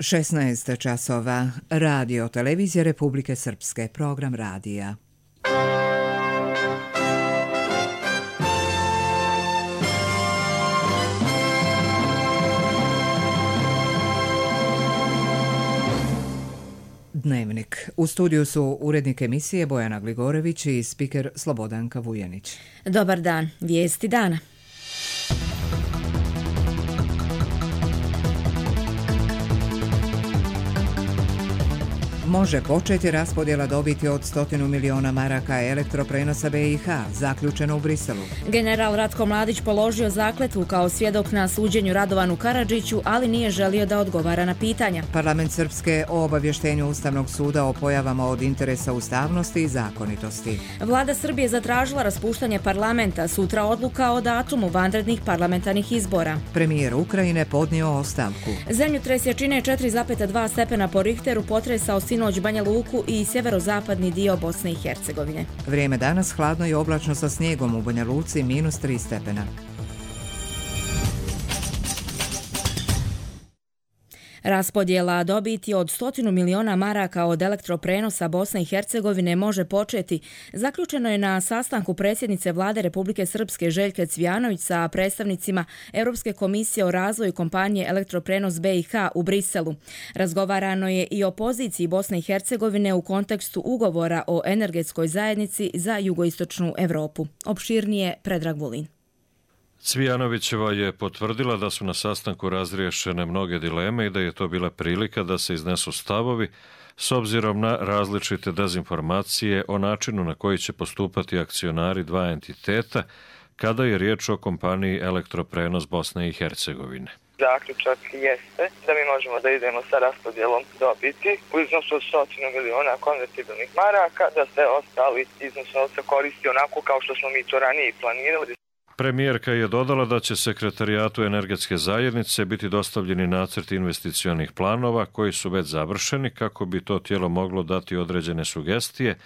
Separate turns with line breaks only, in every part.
16 časova. Radio Televizije Republike Srpske. Program radija. Dnevnik. U studiju su urednik emisije Bojana Gligorević i spiker Slobodanka Vujanić.
Dobar dan. Vijesti dana.
Može početi raspodjela dobiti od 100 miliona maraka elektroprenosa BiH, zaključeno u Briselu.
General Ratko Mladić položio zakletvu kao svjedok na suđenju Radovanu Karadžiću, ali nije želio da odgovara na pitanja.
Parlament Srpske o obavještenju Ustavnog suda o pojavama od interesa ustavnosti i zakonitosti.
Vlada Srbije zatražila raspuštanje parlamenta, sutra odluka o datumu vanrednih parlamentarnih izbora.
Premijer Ukrajine podnio ostavku.
Zemljotres jačine 4,2 stepena po Richteru potresao sinoć Banja Luku i sjeverozapadni dio Bosne i Hercegovine.
Vrijeme danas hladno i oblačno sa snijegom, u Banja Luci -3 stepena.
Raspodjela dobiti od 100 miliona maraka od elektroprenosa Bosne i Hercegovine može početi. Zaključeno je na sastanku predsjednice Vlade Republike Srpske Željke Cvijanović sa predstavnicima Europske komisije o razvoju kompanije Elektroprenos BiH u Briselu. Razgovarano je i o poziciji Bosne i Hercegovine u kontekstu ugovora o energetskoj zajednici za jugoistočnu Europu. Opširnije Predrag Vulin.
Cvijanovićeva je potvrdila da su na sastanku razriješene mnoge dileme i da je to bila prilika da se iznesu stavovi s obzirom na različite dezinformacije o načinu na koji će postupati akcionari dva entiteta kada je riječ o kompaniji Elektroprenos Bosne i Hercegovine.
Zaključak jeste da mi možemo da idemo sa raspodjelom dobiti u iznosu od 100 miliona konvertibilnih maraka, da se ostali iznos novca koristi onako kao što smo mi to ranije planirali.
Premijerka je dodala da će sekretarijatu energetske zajednice biti dostavljeni nacrti investicionih planova koji su već završeni kako bi to tijelo moglo dati određene sugestije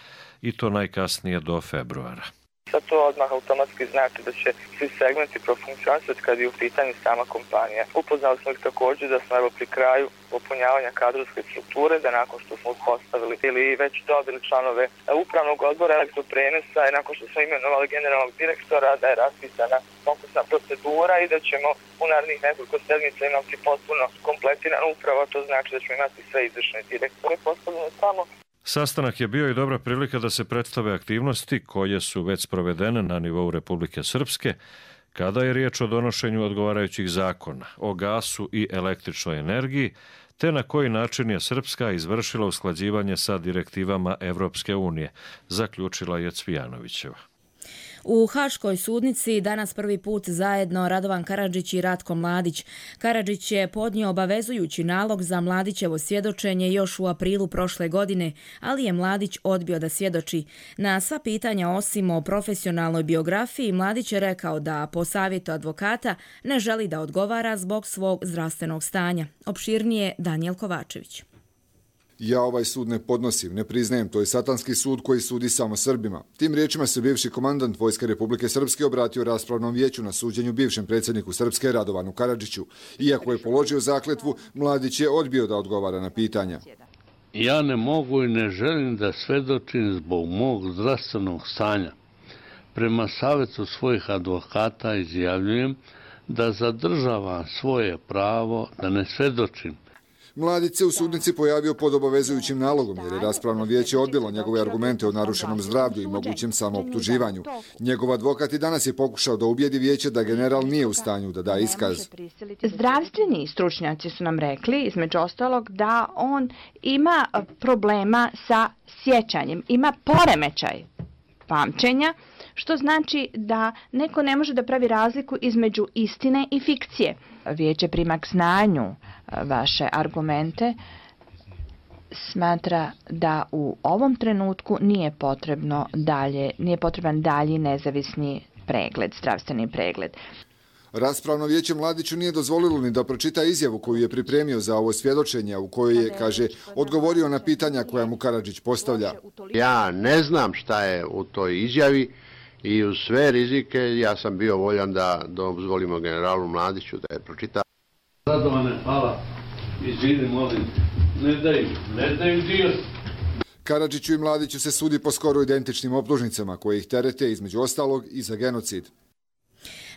i to najkasnije do februara.
Sad to odmah automatski znači da će svi segmenti profunkcionisati kad je u pitanju sama kompanija. Upoznali smo ih također da smo evo pri kraju popunjavanja kadrovske strukture, da nakon što smo postavili ili već dobili članove upravnog odbora Elektroprenosa i nakon što smo imenovali generalnog direktora, da je raspisana konkursna procedura i da ćemo u narednih nekoliko sedmica imati potpuno kompletiran upravo, to znači da ćemo imati sve izvršne direktore postavljene tamo.
Sastanak je bio i dobra prilika da se predstave aktivnosti koje su već sprovedene na nivou Republike Srpske kada je riječ o donošenju odgovarajućih zakona o gasu i električnoj energiji, te na koji način je Srpska izvršila usklađivanje sa direktivama Evropske unije, zaključila je Cvijanovićeva.
U Haškoj sudnici danas prvi put zajedno Radovan Karadžić i Ratko Mladić. Karadžić je podnio obavezujući nalog za Mladićevo svjedočenje još u aprilu prošle godine, ali je Mladić odbio da svjedoči. Na sva pitanja osim o profesionalnoj biografiji, Mladić je rekao da po savjetu advokata ne želi da odgovara zbog svog zdravstvenog stanja. Opširnije Danijel Kovačević.
Ja ovaj sud ne podnosim, ne priznajem, to je satanski sud koji sudi samo Srbima. Tim riječima se bivši komandant Vojske Republike Srpske obratio raspravnom vijeću na suđenju bivšem predsjedniku Srpske Radovanu Karadžiću. Iako je položio zakletvu, Mladić je odbio da odgovara na pitanja.
Ja ne mogu i ne želim da svedočim zbog mog zdravstvenog stanja. Prema savjetu svojih advokata izjavljujem da zadržavam svoje pravo da ne svedočim.
Mladić se u sudnici pojavio pod obavezujućim nalogom jer je raspravno vijeće odbilo njegove argumente o narušenom zdravlju i mogućem samooptuživanju. Njegov advokat i danas je pokušao da ubijedi vijeće da general nije u stanju da da iskaz.
Zdravstveni stručnjaci su nam rekli, između ostalog, da on ima problema sa sjećanjem, ima poremećaj pamćenja, što znači da neko ne može da pravi razliku između istine i fikcije. Vijeće prima k znanju vaše argumente, smatra da u ovom trenutku nije potreban dalji nezavisni pregled, zdravstveni pregled.
Raspravno vijeće Mladiću nije dozvolilo ni da pročita izjavu koju je pripremio za ovo svjedočenje, u kojoj je, kaže, odgovorio na pitanja koja mu Karadžić postavlja.
Ja ne znam šta je u toj izjavi i uz sve rizike ja sam bio voljan da dozvolimo generalu Mladiću da je pročita.
Radovane, hvala. Izvini, molim, ne daju dio.
Karadžiću i Mladiću se sudi po skoro identičnim optužnicama koje ih terete između ostalog i za genocid.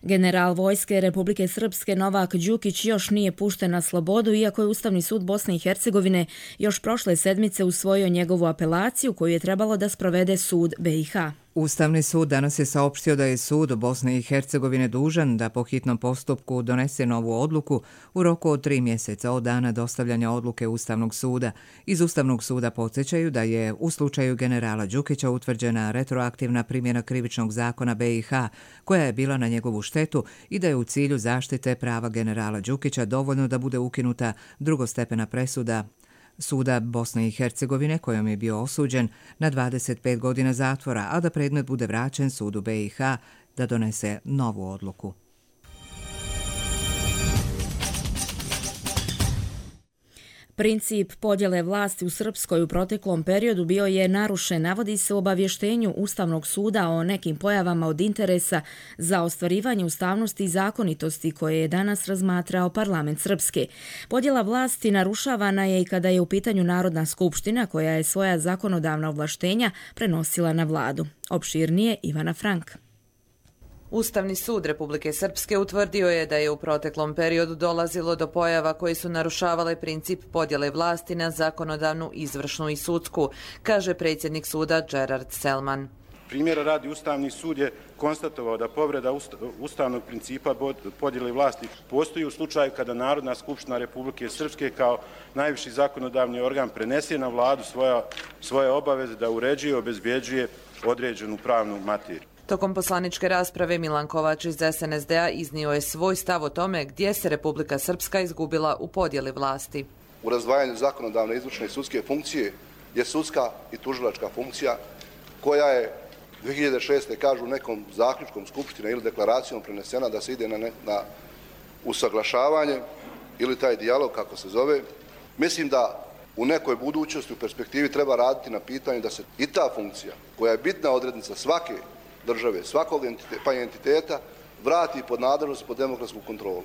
General vojske Republike Srpske Novak Đukić još nije pušten na slobodu, iako je Ustavni sud Bosne i Hercegovine još prošle sedmice usvojio njegovu apelaciju koju je trebalo da sprovede sud BiH.
Ustavni sud danas je saopštio da je sud Bosne i Hercegovine dužan da po hitnom postupku donese novu odluku u roku od 3 mjeseca od dana dostavljanja odluke Ustavnog suda. Iz Ustavnog suda podsjećaju da je u slučaju generala Đukića utvrđena retroaktivna primjena krivičnog zakona BiH koja je bila na njegovu štetu i da je u cilju zaštite prava generala Đukića dovoljno da bude ukinuta drugostepena presuda Suda Bosne i Hercegovine kojom je bio osuđen na 25 godina zatvora, a da predmet bude vraćen sudu BiH da donese novu odluku.
Princip podjele vlasti u Srpskoj u proteklom periodu bio je narušen, navodi se u obavještenju Ustavnog suda o nekim pojavama od interesa za ostvarivanje ustavnosti i zakonitosti koje je danas razmatrao parlament Srpske. Podjela vlasti narušavana je i kada je u pitanju Narodna skupština koja je svoja zakonodavna ovlaštenja prenosila na vladu. Opširnije Ivana Frank.
Ustavni sud Republike Srpske utvrdio je da je u proteklom periodu dolazilo do pojava koje su narušavale princip podjele vlasti na zakonodavnu, izvršnu i sudsku, kaže predsjednik suda Gerard Selman.
Primjera radi, Ustavni sud je konstatovao da povreda ustavnog principa podjele vlasti postoji u slučaju kada Narodna skupština Republike Srpske kao najviši zakonodavni organ prenese na vladu svoje obaveze da uređuje i obezbjeđuje određenu pravnu materiju.
Tokom poslaničke rasprave Milan Kovač iz SNSD-a iznio je svoj stav o tome gdje se Republika Srpska izgubila u podjeli vlasti.
U razdvajanju zakonodavne, izvršne i sudske funkcije je sudska i tužilačka funkcija koja je 2006. kažu nekom zaključkom skupštine ili deklaracijom prenesena da se ide na usaglašavanje ili taj dijalog kako se zove. Mislim da u nekoj budućnosti, u perspektivi treba raditi na pitanju da se i ta funkcija koja je bitna odrednica svake države, svakog pa entiteta, vrati pod nadležnost, pod demokratsku kontrolu.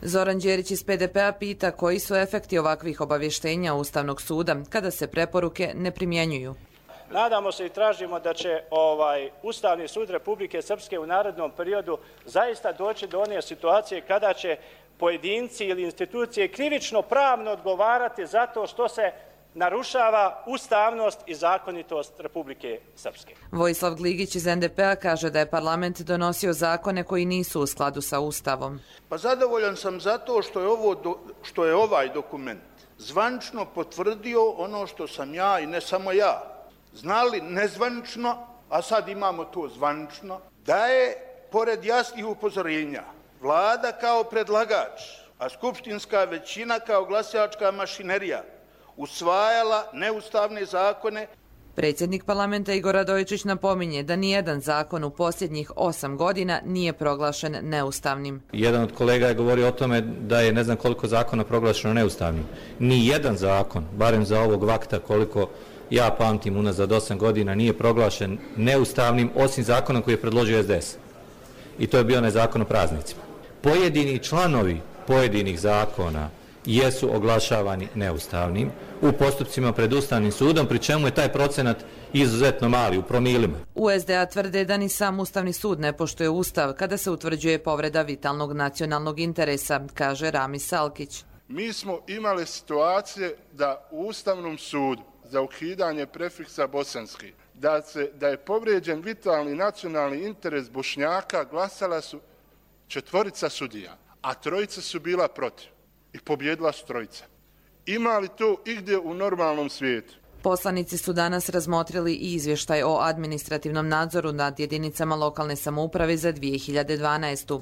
Zoran Đerić iz PDP-a pita koji su efekti ovakvih obavještenja Ustavnog suda kada se preporuke ne primjenjuju.
Nadamo se i tražimo da će Ustavni sud Republike Srpske u narednom periodu zaista doći do one situacije kada će pojedinci ili institucije krivično pravno odgovarati zato što se narušava ustavnost i zakonitost Republike Srpske.
Vojislav Gligić iz NDP-a kaže da je parlament donosio zakone koji nisu u skladu sa Ustavom.
Pa zadovoljan sam zato što je ovaj dokument zvančno potvrdio ono što sam ja i ne samo ja znali nezvančno, a sad imamo to zvančno, da je pored jasnih upozorenja vlada kao predlagač, a skupštinska većina kao glasačka mašinerija usvajala neustavne zakone.
Predsjednik parlamenta Igor Radojičić napominje da nijedan zakon u posljednjih 8 godina nije proglašen neustavnim.
Jedan od kolega je govorio o tome da je ne znam koliko zakona proglašeno neustavnim. Nijedan zakon, barem za ovog vakta koliko ja pamtim unazad 8 godina, nije proglašen neustavnim osim zakonom koji je predložio SDS. I to je bio onaj zakon o praznicima. Pojedini članovi pojedinih zakona jesu oglašavani neustavnim u postupcima pred Ustavnim sudom, pri čemu je taj procenat izuzetno mali, u promilima.
U SDA tvrde da ni sam Ustavni sud ne poštuje Ustav kada se utvrđuje povreda vitalnog nacionalnog interesa, kaže Ramis Salkić.
Mi smo imali situacije da u Ustavnom sudu za ukidanje prefiksa bosanski, da je povrijeđen vitalni nacionalni interes Bošnjaka, glasala su 4 sudija, a 3 su bila protiv. I pobjedila su 3. Ima li to igdje u normalnom svijetu?
Poslanici su danas razmotrili i izvještaj o administrativnom nadzoru nad jedinicama lokalne samouprave za 2012.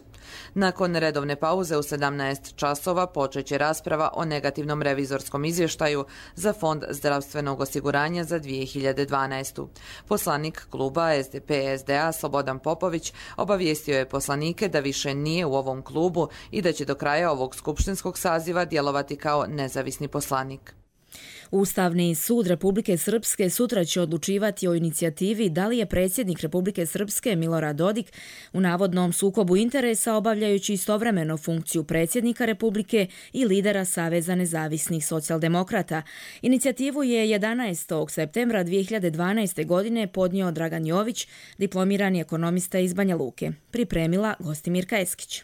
Nakon redovne pauze u 17 časova počeće rasprava o negativnom revizorskom izvještaju za Fond zdravstvenog osiguranja za 2012. Poslanik kluba SDP-SDA Slobodan Popović obavijestio je poslanike da više nije u ovom klubu i da će do kraja ovog skupštinskog saziva djelovati kao nezavisni poslanik.
Ustavni sud Republike Srpske sutra će odlučivati o inicijativi da li je predsjednik Republike Srpske Milorad Dodik u navodnom sukobu interesa obavljajući istovremeno funkciju predsjednika Republike i lidera Saveza nezavisnih socijaldemokrata. Inicijativu je 11. septembra 2012. godine podnio Dragan Jović, diplomirani ekonomista iz Banja Luke. Pripremila Gostimirka Eskić.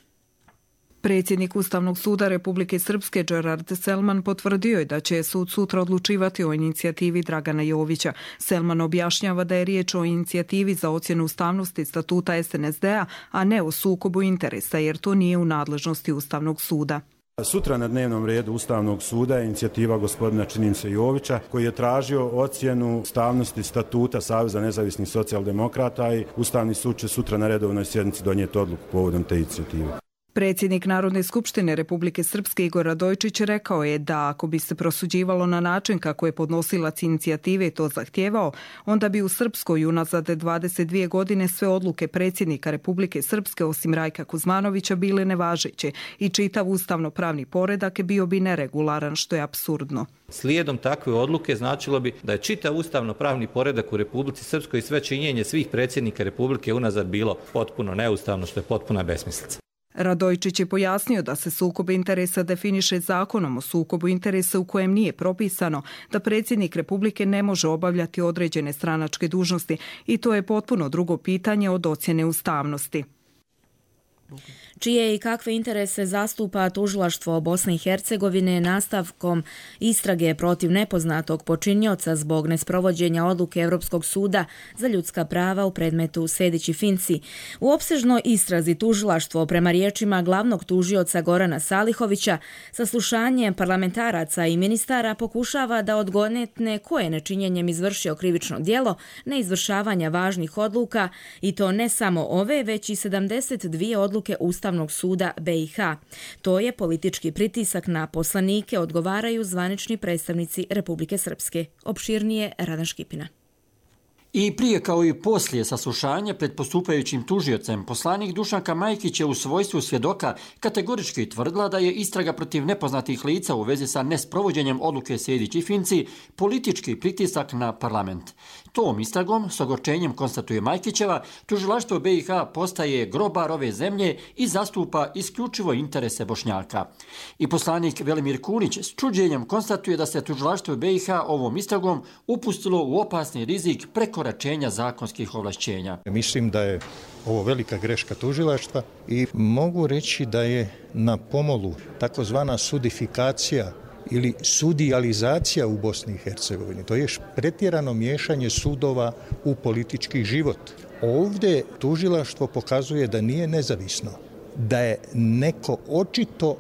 Predsjednik Ustavnog suda Republike Srpske Gerard Selman potvrdio je da će sud sutra odlučivati o inicijativi Dragana Jovića. Selman objašnjava da je riječ o inicijativi za ocjenu ustavnosti statuta SNSD-a, a ne o sukobu interesa, jer to nije u nadležnosti Ustavnog suda.
Sutra na dnevnom redu Ustavnog suda je inicijativa gospodina Činimce Jovića koji je tražio ocjenu ustavnosti statuta Saveza nezavisnih socijaldemokrata i Ustavni sud će sutra na redovnoj sjednici donijeti odluku povodom te inicijative.
Predsjednik Narodne skupštine Republike Srpske Igor Radojičić rekao je da ako bi se prosuđivalo na način kako je podnosilac inicijative to zahtijevao, onda bi u Srpskoj unazad 22 godine sve odluke predsjednika Republike Srpske osim Rajka Kuzmanovića bile nevažeće i čitav ustavno-pravni poredak bio bi neregularan, što je apsurdno.
Slijedom takve odluke značilo bi da je čitav ustavno-pravni poredak u Republici Srpskoj i sve činjenje svih predsjednika Republike unazad bilo potpuno neustavno, što je potpuna besmislica.
Radojičić je pojasnio da se sukob interesa definiše zakonom o sukobu interesa u kojem nije propisano da predsjednik Republike ne može obavljati određene stranačke dužnosti i to je potpuno drugo pitanje od ocjene ustavnosti.
Čije i kakve interese zastupa tužilaštvo Bosne i Hercegovine nastavkom istrage protiv nepoznatog počinioca zbog nesprovođenja odluke Europskog suda za ljudska prava u predmetu Sejdić i Finci. U opsežnoj istrazi tužilaštvo prema riječima glavnog tužioca Gorana Salihovića saslušanjem parlamentaraca i ministara pokušava da odgonetne ko je nečinjenjem izvršio krivično djelo neizvršavanja važnih odluka i to ne samo ove, već i 72 odluke Ustavnog suda BiH. To je politički pritisak na poslanike, odgovaraju zvanični predstavnici Republike Srpske. Opširnije Radan Škipina.
I prije kao i poslije saslušanja pred postupajućim tužiocem, poslanik Dušanka Majkić je u svojstvu svjedoka kategorički tvrdila da je istraga protiv nepoznatih lica u vezi sa nesprovođenjem odluke Sejdić i Finci politički pritisak na parlament. Tom istragom, s ogorčenjem konstatuje Majkićeva, tužilaštvo BiH postaje grobar ove zemlje i zastupa isključivo interese Bošnjaka. I poslanik Velimir Kunić s čuđenjem konstatuje da se tužilaštvo BiH ovom istragom upustilo u opasni rizik prekoračenja zakonskih ovlašćenja.
Mislim da je ovo velika greška tužilaštva i mogu reći da je na pomolu takozvana sudifikacija ili sudijalizacija u Bosni i Hercegovini. To je pretjerano miješanje sudova u politički život. Ovdje tužilaštvo pokazuje da nije nezavisno, da je neko očito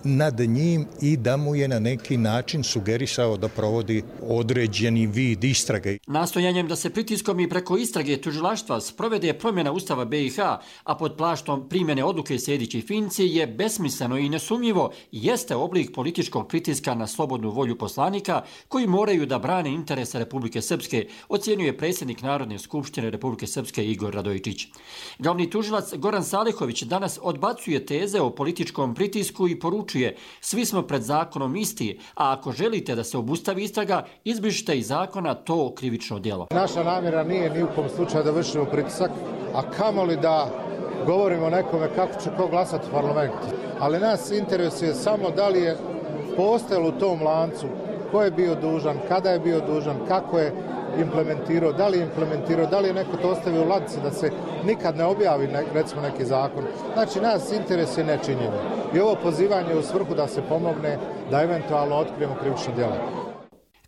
nad njim i da mu je na neki način sugerisao da provodi određeni vid istrage.
Nastojanjem da se pritiskom i preko istrage tužilaštva sprovede promjena Ustava BiH, a pod plaštom primjene odluke Sejdić i Finci je besmisleno i nesumnjivo jeste oblik političkog pritiska na slobodnu volju poslanika koji moraju da brane interese Republike Srpske, ocjenjuje predsjednik Narodne skupštine Republike Srpske Igor Radojičić. Glavni tužilac Goran Salihović danas odbacuje teze o političkom pritisku i poručuje: svi smo pred zakonom isti, a ako želite da se obustavi istraga, izbrišite iz zakona to krivično djelo.
Naša namjera nije ni u kom slučaju da vršimo pritisak, a kamoli da govorimo nekome kako će ko glasati u parlamentu. Ali nas interesuje samo da li je postojalo u tom lancu ko je bio dužan, kada je bio dužan, kako je implementirao, da li je neko to ostavio u ladici da se nikad ne objavi recimo neki zakon. Znači nas interesuje nečinjenje. I ovo pozivanje u svrhu da se pomogne da eventualno otkrijemo krivično djelo.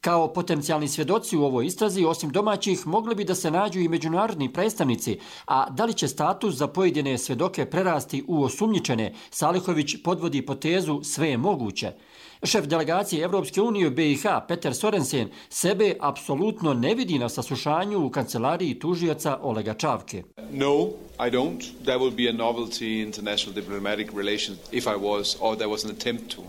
Kao potencijalni svjedoci u ovoj istrazi, osim domaćih, mogli bi da se nađu i međunarodni predstavnici, a da li će status za pojedine svjedoke prerasti u osumnjičene, Salihović podvodi potezu sve je moguće. Šef delegacije Evropske unije u BiH, Peter Sorensen, sebe apsolutno ne vidi na saslušanju u kancelariji tužioca Olega Čavke.
No, I don't. There will be a novelty in international diplomatic relations if I was, or there was an attempt to.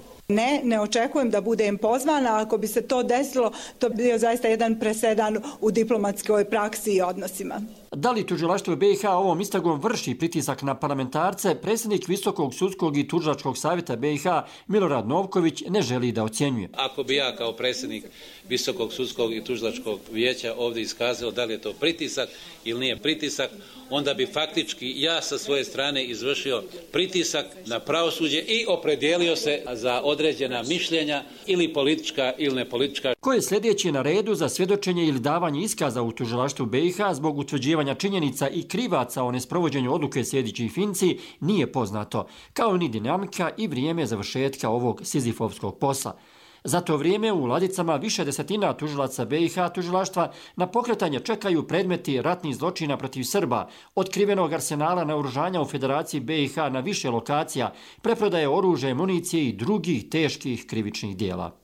Ne očekujem da budem pozvana, ako bi se to desilo, to bi bio zaista jedan presedan u diplomatskoj praksi i odnosima.
Da li tužilaštvo BiH ovom istragom vrši pritisak na parlamentarce, predsjednik Visokog sudskog i tužilačkog savjeta BiH Milorad Novković ne želi da ocjenjuje.
Ako bi ja kao predsjednik Visokog sudskog i tužilačkog vijeća ovdje iskazao da li je to pritisak ili nije pritisak, onda bi faktički ja sa svoje strane izvršio pritisak na pravosuđe i opredijelio se za određena mišljenja ili politička ili nepolitička.
Ko je sljedeći na redu za svjedočenje ili davanje iskaza u tužilaštvu BiH zbog utvrđivanja činjenica i krivaca o nesprovođenju odluke Sejdić i Finci nije poznato, kao ni dinamika i vrijeme završetka ovog sizifovskog posla. Za to vrijeme u ladicama više desetina tužilaca BiH tužilaštva na pokretanje čekaju predmeti ratnih zločina protiv Srba, otkrivenog arsenala naoružanja u Federaciji BiH na više lokacija, preprodaje oružja, municije i drugih teških krivičnih dijela.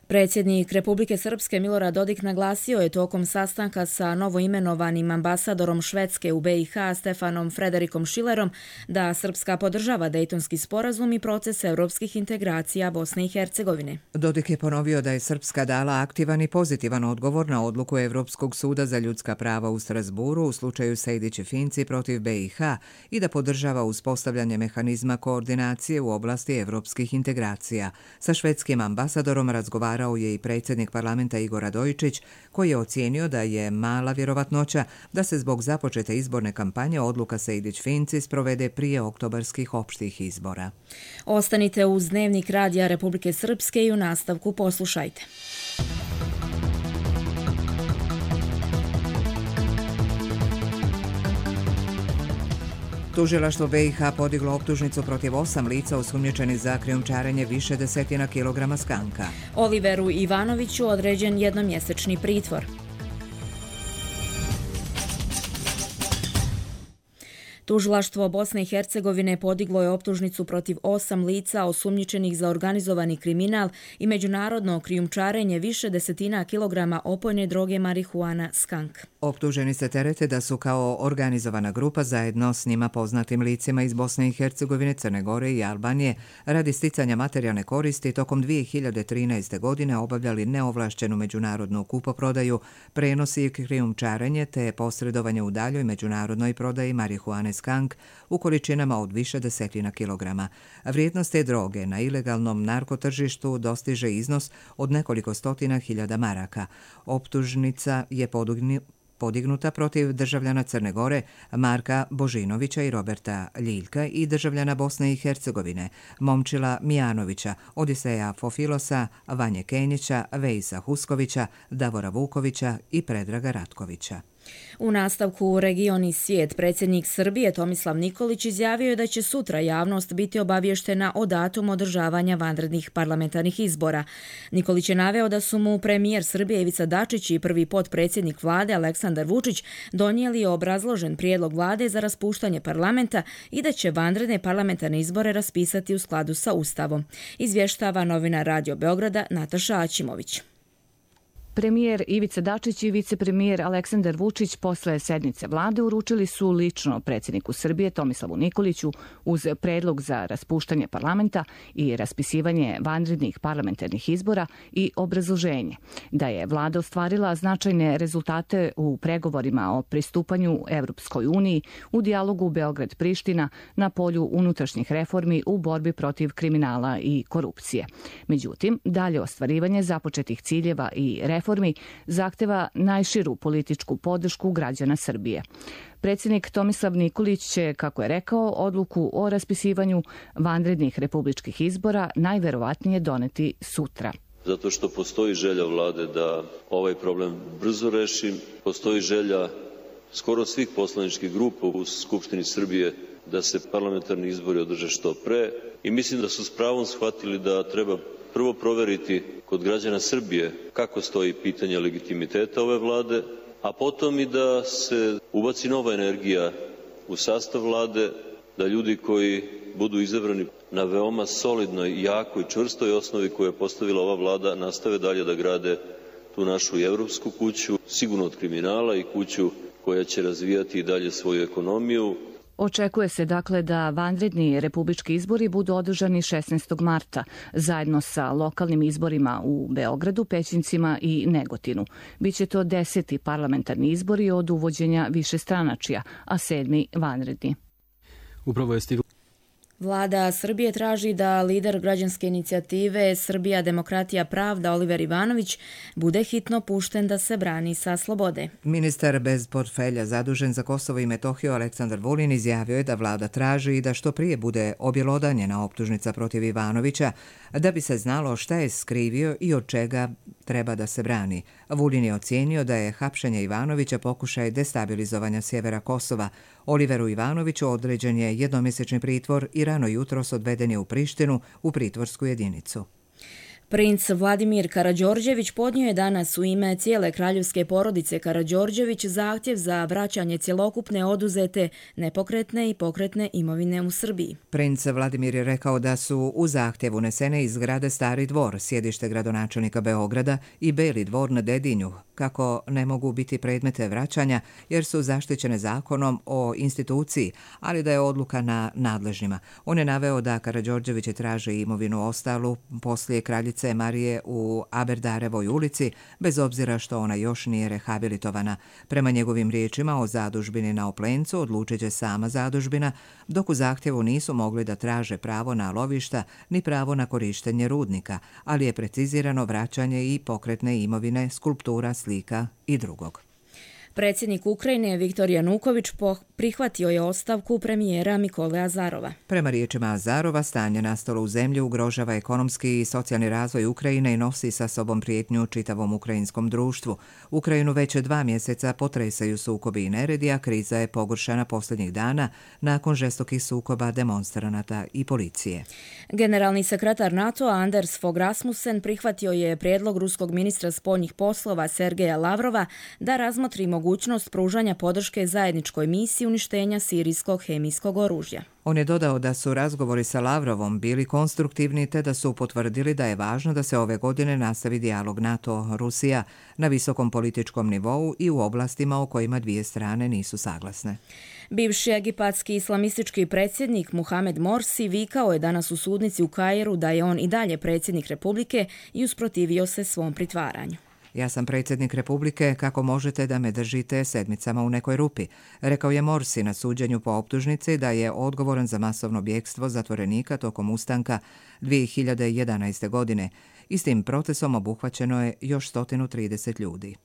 Predsjednik Republike Srpske Milorad Dodik naglasio je tokom sastanka sa novoimenovanim ambasadorom Švedske u BiH Stefanom Frederikom Šilerom da Srpska podržava Dejtonski sporazum i proces europskih integracija Bosne i Hercegovine.
Dodik je ponovio da je Srpska dala aktivan i pozitivan odgovor na odluku Evropskog suda za ljudska prava u Strasburu u slučaju Sejdić i Finci protiv BiH i da podržava uspostavljanje mehanizma koordinacije u oblasti evropskih integracija. Sa švedskim ambasadorom razgovarao je i predsjednik parlamenta Igor Radojičić, koji je ocijenio da je mala vjerovatnoća da se zbog započete izborne kampanje odluka Sejdić-Finci sprovede prije oktobarskih opštih izbora.
Ostanite uz Dnevnik radija Republike Srpske i u nastavku poslušajte.
Tužilaštvo BiH podiglo optužnicu protiv 8 lica osumnjičenih za krijumčarenje više desetina kilograma skanka.
Oliveru Ivanoviću određen jednomjesečni pritvor. Tužilaštvo Bosne i Hercegovine podiglo je optužnicu protiv 8 lica osumnjičenih za organizovani kriminal i međunarodno krijumčarenje više desetina kilograma opojne droge marihuana skank.
Optuženi se terete da su kao organizovana grupa zajedno s njima poznatim licima iz Bosne i Hercegovine, Crne Gore i Albanije radi sticanja materijalne koristi tokom 2013. godine obavljali neovlašćenu međunarodnu kupoprodaju, prenos i krijumčarenje te posredovanje u daljoj međunarodnoj prodaji marihuane skank u količinama od više desetina kilograma. Vrijednost te droge na ilegalnom narkotržištu dostiže iznos od nekoliko stotina hiljada maraka. Optužnica je podignuta protiv državljana Crne Gore Marka Božinovića i Roberta Ljiljka i državljana Bosne i Hercegovine Momčila Mijanovića, Odiseja Fofilosa, Vanje Kenjića, Vejsa Huskovića, Davora Vukovića i Predraga Ratkovića.
U nastavku Region i svijet predsjednik Srbije Tomislav Nikolić izjavio je da će sutra javnost biti obavještena o datumu održavanja vanrednih parlamentarnih izbora. Nikolić je naveo da su mu premijer Srbije Ivica Dačić i prvi potpredsjednik vlade Aleksandar Vučić donijeli obrazložen prijedlog vlade za raspuštanje parlamenta i da će vanredne parlamentarne izbore raspisati u skladu sa Ustavom. Izvještava novinar Radio Beograda Nataša Aćimović.
Premijer Ivica Dačić i vicepremijer Aleksandar Vučić posle sednice vlade uručili su lično predsjedniku Srbije Tomislavu Nikoliću uz predlog za raspuštanje parlamenta i raspisivanje vanrednih parlamentarnih izbora i obrazloženje da je vlada ostvarila značajne rezultate u pregovorima o pristupanju Evropskoj uniji, u dijalogu Beograd-Priština, na polju unutrašnjih reformi u borbi protiv kriminala i korupcije. Međutim, dalje ostvarivanje započetih ciljeva i reformi zahteva najširu političku podršku građana Srbije. Predsjednik Tomislav Nikolić će, kako je rekao, odluku o raspisivanju vanrednih republičkih izbora najverovatnije doneti sutra.
Zato što postoji želja vlade da ovaj problem brzo reši, postoji želja skoro svih poslaničkih grupa u Skupštini Srbije da se parlamentarni izbori održe što pre i mislim da su s pravom shvatili da treba prvo proveriti kod građana Srbije kako stoji pitanje legitimiteta ove vlade, a potom i da se ubaci nova energija u sastav vlade, da ljudi koji budu izabrani na veoma solidnoj, jakoj, čvrstoj osnovi koju je postavila ova vlada nastave dalje da grade tu našu evropsku kuću, sigurno od kriminala i kuću koja će razvijati i dalje svoju ekonomiju.
Očekuje se dakle da vanredni republički izbori budu održani 16. marta, zajedno sa lokalnim izborima u Beogradu, Pećincima i Negotinu. Biće to 10. parlamentarni izbori od uvođenja višestranačja, a 7. vanredni.
Upravo je stiglo.
Vlada Srbije traži da lider građanske inicijative Srbija, demokratija, pravda Oliver Ivanović bude hitno pušten da se brani sa slobode.
Ministar bez portfelja zadužen za Kosovo i Metohiju Aleksandar Vulin izjavio je da vlada traži da što prije bude objelodanjena optužnica protiv Ivanovića da bi se znalo šta je skrivio i od čega treba da se brani. Vulin je ocijenio da je hapšenje Ivanovića pokušaj destabilizovanja sjevera Kosova. Oliveru Ivanoviću određen je jednomjesečni pritvor i rano jutros odveden je u Prištinu u pritvorsku jedinicu.
Princ Vladimir Karađorđević podnio je danas u ime cijele kraljevske porodice Karađorđević zahtjev za vraćanje cjelokupne oduzete nepokretne i pokretne imovine u Srbiji.
Princ Vladimir je rekao da su u zahtjev unesene iz zgrade Stari dvor, sjedište gradonačelnika Beograda, i Beli dvor na Dedinju, kako ne mogu biti predmete vraćanja jer su zaštićene zakonom o instituciji, ali da je odluka na nadležnima. On je naveo da Karađorđević traže imovinu ostalu poslije kraljice Marije u Aberdarevoj ulici, bez obzira što ona još nije rehabilitovana. Prema njegovim riječima o zadužbini na Oplencu odlučit će sama zadužbina, dok u zahtjevu nisu mogli da traže pravo na lovišta ni pravo na korištenje rudnika, ali je precizirano vraćanje i pokretne imovine, skulptura, slika i drugog.
Predsjednik Ukrajine Viktor Januković prihvatio je ostavku premijera Mikole Azarova.
Prema riječima Azarova, stanje nastalo u zemlji ugrožava ekonomski i socijalni razvoj Ukrajine i nosi sa sobom prijetnju čitavom ukrajinskom društvu. Ukrajinu već 2 mjeseca potresaju sukobi i neredi, a kriza je pogoršana posljednjih dana nakon žestokih sukoba demonstranata i policije.
Generalni sekretar NATO Anders Fogh Rasmussen prihvatio je prijedlog ruskog ministra spoljnih poslova Sergeja Lavrova da razmotri mogućnost pružanja podrške zajedničkoj misiji uništenja sirijskog hemijskog oružja.
On je dodao da su razgovori sa Lavrovom bili konstruktivni te da su potvrdili da je važno da se ove godine nastavi dijalog NATO-Rusija na visokom političkom nivou i u oblastima o kojima dvije strane nisu saglasne.
Bivši egipatski islamistički predsjednik Muhamed Morsi vikao je danas u sudnici u Kairu da je on i dalje predsjednik Republike i usprotivio se svom pritvaranju.
Ja sam predsjednik Republike, kako možete da me držite sedmicama u nekoj rupi, rekao je Morsi na suđenju po optužnici da je odgovoran za masovno bjegstvo zatvorenika tokom ustanka 2011. godine. Istim procesom obuhvaćeno je još 130 ljudi.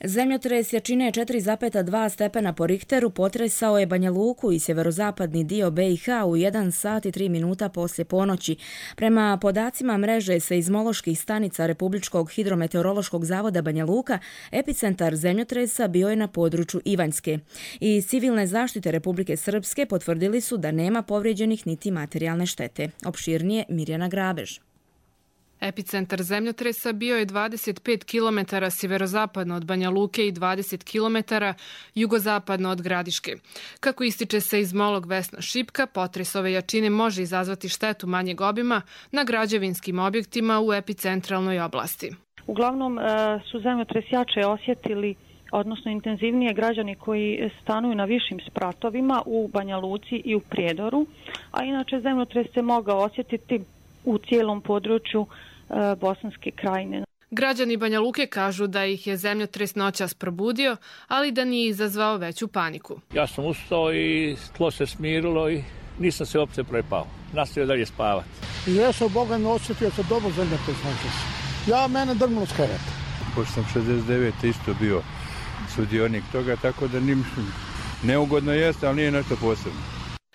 Zemljotres jačine 4,2 stepena po Richteru potresao je Banja Luku i sjeverozapadni dio BiH u 1 sat i 3 minuta poslije ponoći. Prema podacima mreže seizmoloških stanica Republičkog hidrometeorološkog zavoda Banja Luka, epicentar zemljotresa bio je na području Ivanjske. I civilne zaštite Republike Srpske potvrdili su da nema povrijeđenih niti materijalne štete. Opširnije Mirjana Grabež.
Epicentar zemljotresa bio je 25 km sjeverozapadno od Banja Luke i 20 km jugozapadno od Gradiške. Kako ističe seizmolog Vesna Šipka, potres ove jačine može izazvati štetu manjeg obima na građevinskim objektima u epicentralnoj oblasti.
Uglavnom su zemljotres jače osjetili, odnosno intenzivnije, građani koji stanuju na višim spratovima u Banja Luci i u Prijedoru, a inače zemljotres se mogao osjetiti u cijelom području Bosanske krajine.
Građani Banja Luke kažu da ih je zemljotres noćas probudio, ali da nije izazvao veću paniku.
Ja sam ustao i tlo se smirilo i nisam se uopće prepao. Nastavio dalje spavati.
Ja sam Boga ne osjetio se dobro zemljotres noćas. Mene drmilo s kereta.
Pošto sam 69. isto bio sudionik toga, tako da neugodno jeste, ali nije nešto posebno.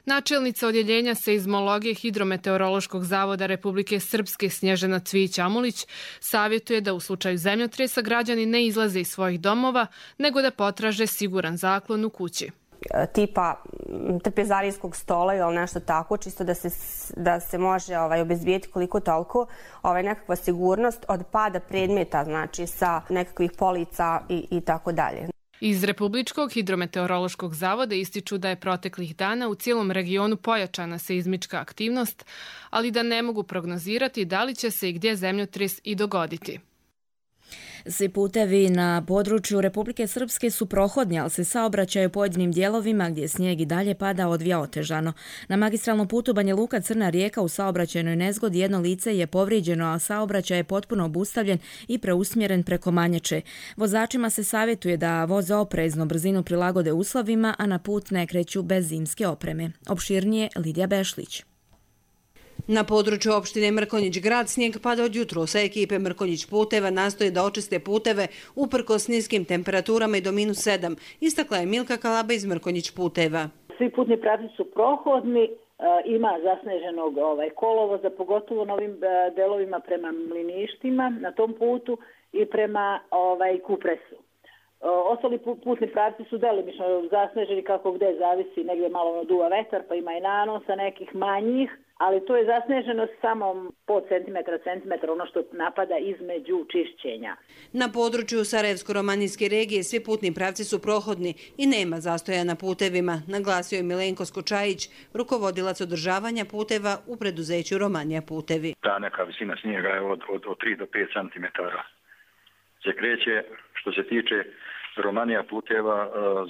Načelnica odjeljenja seizmologije Hidrometeorološkog zavoda Republike Srpske Snježana Cvijić-Amulić savjetuje da u slučaju zemljotresa građani ne izlaze iz svojih domova, nego da potraže siguran zaklon u kući.
Tipa trpezarijskog stola ili nešto tako, čisto da se može obezbijeti koliko toliko nekakva sigurnost od pada predmeta, znači sa nekakvih polica i tako dalje.
Iz Republičkog hidrometeorološkog zavoda ističu da je proteklih dana u cijelom regionu pojačana seizmička aktivnost, ali da ne mogu prognozirati da li će se i gdje zemljotres i dogoditi.
Svi putevi na području Republike Srpske su prohodni, ali se saobraćaj u pojedinim dijelovima gdje snijeg i dalje pada odvija otežano. Na magistralnom putu Banja Luka Crna Rijeka u saobraćajnoj nezgodi jedno lice je povrijeđeno, a saobraćaj je potpuno obustavljen i preusmjeren preko Manjače. Vozačima se savjetuje da voze oprezno, brzinu prilagode uslovima, a na put ne kreću bez zimske opreme. Opširnije Lidija Bešlić.
Na području opštine Mrkonjić grad snijeg pada od jutros, a ekipe Mrkonjić puteva nastoje da očiste puteve uprkos niskim temperaturama i do -7, istakla je Milka Kalaba iz Mrkonjić puteva.
Svi putni pravci su prohodni, ima zasneženog kolovoza, pogotovo na ovim delovima prema Mliništima na tom putu i prema Kupresu. Ostali putni pravci su delimično zasneženi kako gde zavisi, negdje malo duva vetar pa ima i nanosa nekih manjih, ali to je zasneženo samo po centimetra, ono što napada između čišćenja.
Na području Sarajevsko-romanijske regije svi putni pravci su prohodni i nema zastoja na putevima, naglasio je Milenko Skočajić, rukovodilac održavanja puteva u preduzeću Romanija putevi.
Ta neka visina snijega je od 3 do 5 cm. Se kreće, što se tiče Romanija puteva,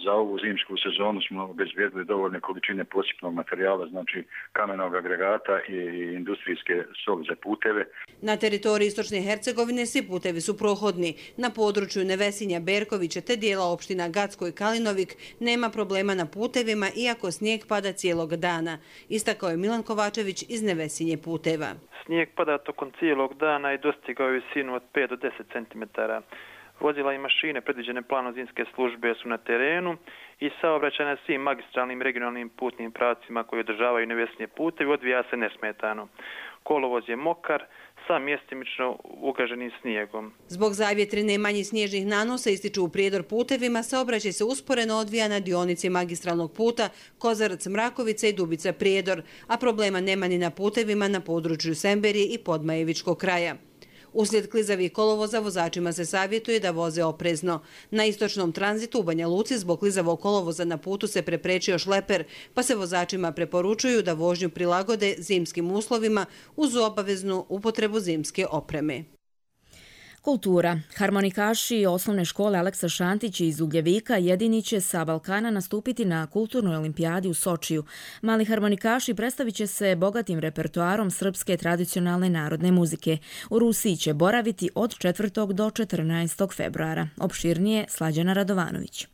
za ovu zimsku sezonu smo obezbijedili dovoljne količine posipnog materijala, znači kamenog agregata i industrijske soli za puteve.
Na teritoriji Istočne Hercegovine svi putevi su prohodni. Na području Nevesinja, Berkovića te dijela opština Gacko i Kalinovik nema problema na putevima, iako snijeg pada cijelog dana. Istakao je Milan Kovačević iz Nevesinje puteva.
Snijeg pada tokom cijelog dana i dostigao je visinu od 5 do 10 cm. Vozila i mašine predviđene planom zimske službe su na terenu i saobraćaj na svim magistralnim regionalnim putnim pravcima koji održavaju Nevesinje putevi odvija se nesmetano. Kolovoz je mokar sa mjestimično ugaženim snijegom.
Zbog zavjetrine i manjih snježnih nanosa ističu u Prijedor putevima, saobraćaj se usporeno odvija na dionici magistralnog puta Kozarac-Mrakovica i Dubica-Prijedor, a problema nema ni na putevima na području Semberije i Podmajevičkog kraja. Uslijed klizavih kolovoza vozačima se savjetuje da voze oprezno. Na istočnom tranzitu u Banja Luci zbog klizavog kolovoza na putu se preprečio šleper, pa se vozačima preporučuju da vožnju prilagode zimskim uslovima uz obaveznu upotrebu zimske opreme.
Kultura. Harmonikaši osnovne škole Aleksa Šantić iz Ugljevika jedini će sa Balkana nastupiti na kulturnoj olimpijadi u Sočiju. Mali harmonikaši predstavit će se bogatim repertoarom srpske tradicionalne narodne muzike. U Rusiji će boraviti od 4. do 14. februara. Opširnije Slađana Radovanović.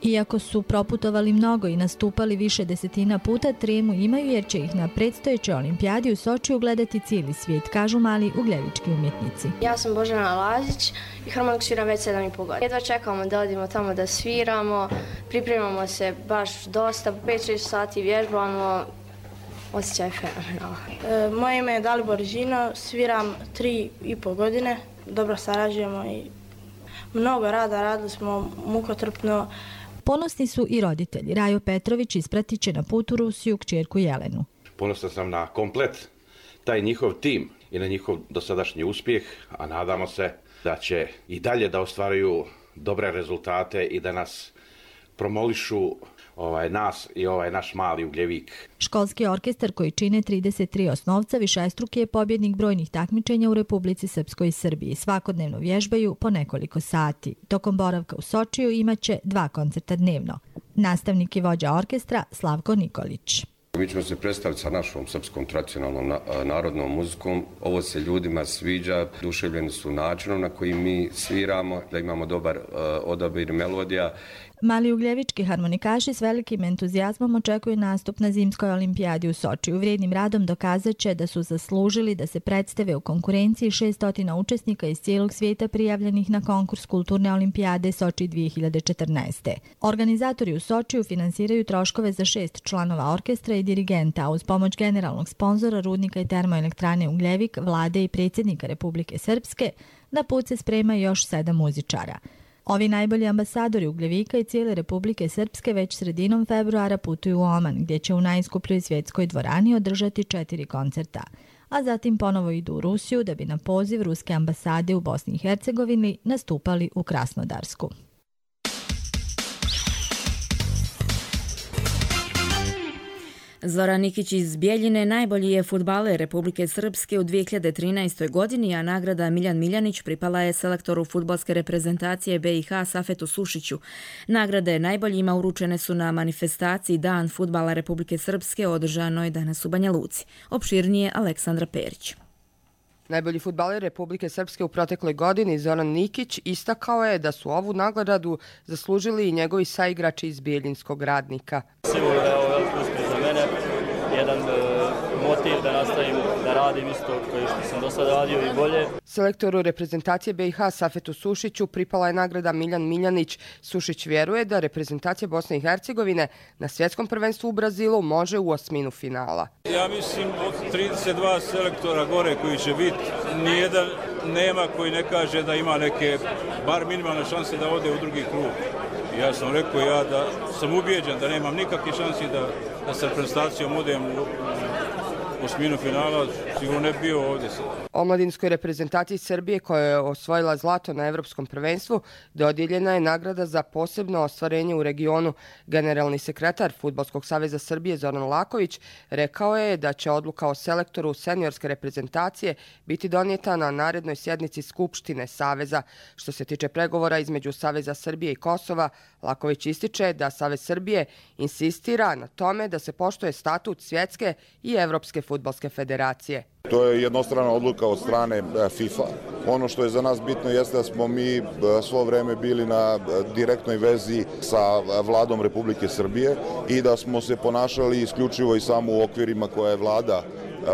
Iako su proputovali mnogo i nastupali više desetina puta, tremu imaju jer će ih na predstojećoj olimpijadi u Sočiju gledati cijeli svijet, kažu mali ugljevički umjetnici.
Ja sam Božana Lazić i harmoniku sviram već 7,5 godina. Jedva čekamo da odimo tamo da sviramo, pripremamo se baš dosta, 5-6 sati vježbamo, osjećaj fenomenalno.
Moje ime je Dalibor Žino, sviram 3,5 godine, dobro sarađujemo i mnogo rada, radili smo mukotrpno.
Ponosni su i roditelji. Rajo Petrović ispratit će na put u Rusiju kćerku Jelenu.
Ponosan sam na komplet taj njihov tim i na njihov dosadašnji uspjeh, a nadamo se da će i dalje da ostvaruju dobre rezultate i da nas promolišu nas i naš mali Ugljevik.
Školski orkestar koji čine 33 osnovca višestruki je pobjednik brojnih takmičenja u Republici Srpskoj i Srbiji. Svakodnevno vježbaju po nekoliko sati. Tokom boravka u Sočiju imaće 2 koncerta dnevno. Nastavnik i vođa orkestra Slavko Nikolić.
Mi ćemo se predstaviti sa našom srpskom tradicionalnom narodnom muzikom. Ovo se ljudima sviđa, duševljeni su načinom na koji mi sviramo, da imamo dobar odabir melodija.
Mali ugljevički harmonikaši s velikim entuzijazmom očekuju nastup na zimskoj olimpijadi u Sočiju. Vrijednim radom dokazat će da su zaslužili da se predstave u konkurenciji 600 učesnika iz cijelog svijeta prijavljenih na konkurs kulturne olimpijade Soči 2014. Organizatori u Sočiju finansiraju troškove za 6 članova orkestra i dirigenta, a uz pomoć generalnog sponzora rudnika i termoelektrane Ugljevik, vlade i predsjednika Republike Srpske, na put se sprema još 7 muzičara. Ovi najbolji ambasadori Ugljevika i cijele Republike Srpske već sredinom februara putuju u Oman, gdje će u najskupljoj svjetskoj dvorani održati 4 koncerta. a zatim ponovo idu u Rusiju da bi na poziv Ruske ambasade u Bosni i Hercegovini nastupali u Krasnodarsku.
Zoran Nikić iz Bijeljine najbolji je fudbaler Republike Srpske u 2013. godini, a nagrada Miljan Miljanić pripala je selektoru fudbalske reprezentacije BiH Safetu Sušiću. Nagrade najboljima uručene su na manifestaciji Dan fudbala Republike Srpske održanoj danas u Banja Luci. Opširnije Aleksandra Perić.
Najbolji fudbaler Republike Srpske u protekloj godini, Zoran Nikić, istakao je da su ovu nagradu zaslužili i njegovi saigrači iz Bijeljinskog Radnika.
Sigurno da je ovo veliki uspjeh za mene, jedan motiv da nastavim da radim isto koji što sam do sada radio i bolje.
Selektoru reprezentacije BiH Safetu Sušiću pripala je nagrada Miljan Miljanić. Sušić vjeruje da reprezentacija Bosne i Hercegovine na svjetskom prvenstvu u Brazilu može u osminu finala.
Ja mislim od 32 selektora gore koji će biti, nijedan nema koji ne kaže da ima neke bar minimalne šanse da ode u drugi krug. Ja sam rekao da sam ubijeđen da nemam nikakve šanse da sa reprezentacijom odem u osminu finala, sigurno ne bio ovdje.
Omladinskoj reprezentaciji Srbije koja je osvojila zlato na Evropskom prvenstvu dodijeljena je nagrada za posebno ostvarenje u regionu. Generalni sekretar Fudbalskog saveza Srbije Zoran Laković rekao je da će odluka o selektoru seniorske reprezentacije biti donijeta na narednoj sjednici Skupštine Saveza. Što se tiče pregovora između Saveza Srbije i Kosova, Laković ističe da Savez Srbije insistira na tome da se poštuje statut Svjetske i Evropske fudbalske federacije.
To je jednostrana odluka od strane FIFA. Ono što je za nas bitno jeste da smo mi svo vreme bili na direktnoj vezi sa vladom Republike Srbije i da smo se ponašali isključivo i samo u okvirima koje je vlada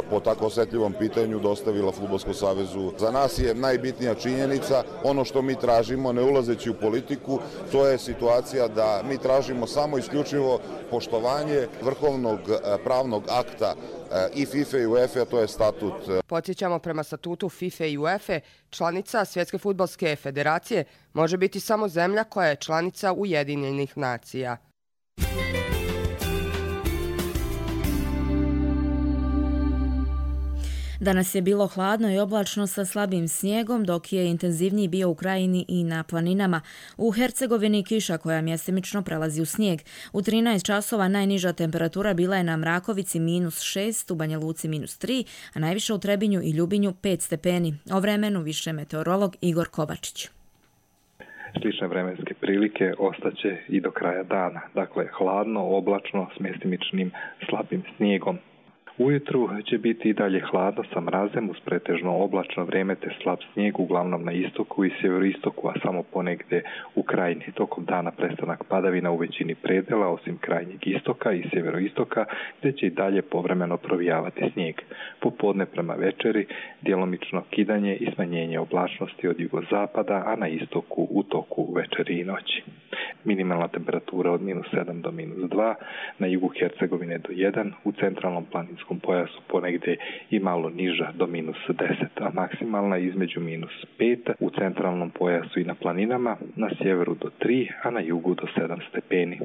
po tako osjetljivom pitanju dostavila Fudbalskom savezu. Za nas je najbitnija činjenica, ono što mi tražimo, ne ulazeći u politiku, to je situacija da mi tražimo samo isključivo poštovanje vrhovnog pravnog akta i FIFA i UEFA, a to je statut.
Podsjećamo, prema statutu FIFA i UEFA, članica Svjetske fudbalske federacije može biti samo zemlja koja je članica Ujedinjenih nacija.
Danas je bilo hladno i oblačno sa slabim snijegom, dok je intenzivniji bio u krajini i na planinama. U Hercegovini kiša koja mjestimično prelazi u snijeg. U 13 časova najniža temperatura bila je na Mrakovici -6, u Banja Luci -3, a najviše u Trebinju i Ljubinju 5 stepeni. O vremenu više meteorolog Igor Kovačić.
Slične vremenske prilike ostaće i do kraja dana. Dakle, hladno, oblačno, s mjestimičnim slabim snijegom. Ujutru će biti i dalje hladno sa mrazem uz pretežno oblačno vrijeme te slab snijeg uglavnom na istoku i sjeveroistoku, a samo ponegdje u krajini. Tokom dana prestanak padavina u većini predela, osim krajnjeg istoka i sjeveroistoka, gdje će i dalje povremeno provijavati snijeg. Popodne prema večeri djelomično kidanje i smanjenje oblačnosti od jugozapada, a na istoku u toku večeri i noći. Minimalna temperatura od -7 do -2, na jugu Hercegovine do 1, u centralnom planinskom pojasu ponegdje i malo niža do -10, a maksimalna između -5 u centralnom pojasu i na planinama, na sjeveru do 3, a na jugu do 7 stepeni.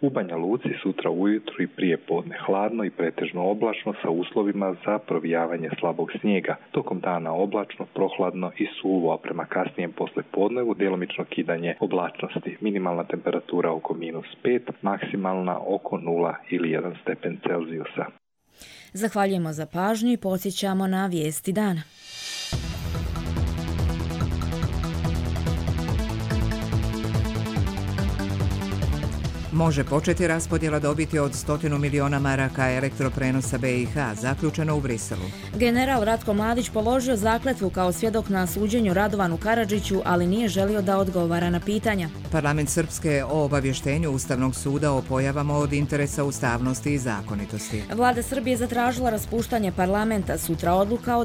U Banja Luci sutra ujutru i prije podne hladno i pretežno oblačno sa uslovima za provijavanje slabog snijega. Tokom dana oblačno, prohladno i suvo, a prema kasnijem poslijepodnevu djelomično kidanje oblačnosti. Minimalna temperatura oko -5, maksimalna oko 0 ili 1 stepen Celzijusa.
Zahvaljujemo za pažnju i podsjećamo na vijesti dana.
Može početi raspodjela dobiti od 100 miliona maraka elektroprenosa BiH, zaključeno u Briselu.
General Ratko Mladić položio zakletvu kao svjedok na suđenju Radovanu Karadžiću, ali nije želio da odgovara na pitanja.
Parlament Srpske o obavještenju Ustavnog suda o pojavama od interesa ustavnosti i zakonitosti.
Vlada Srbije zatražila raspuštanje parlamenta, sutra odluka o